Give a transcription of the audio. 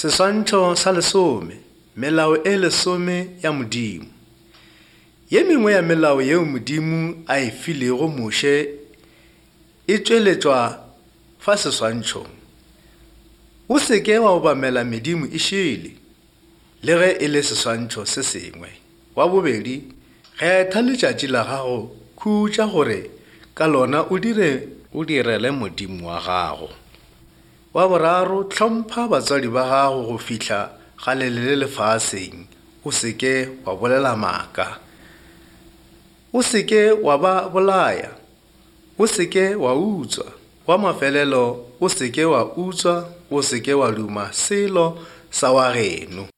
Seswantšho sa lesome, Melao e lesome ya Modimo. Ye mengwe ya melao yeo Modimo a e filego Moshe e tšweletšwa fa seswantšhong. O se ke wa obamela medimo e šele, le ge e le seswantšho se sengwe. Wa bobedi, kgetha letšatši la gago khutša gore ka lona o dire o direle Modimo wa gago. Wa boraro, hlompha batswadi ba gago go fihla ga le le lefaseng, o se ke wa bolela maaka. O se ke wa ba bolaya. O se ke wa utswa. Wa mafelelo, o se ke wa utswa, o se ke wa duma selo sa wa geno.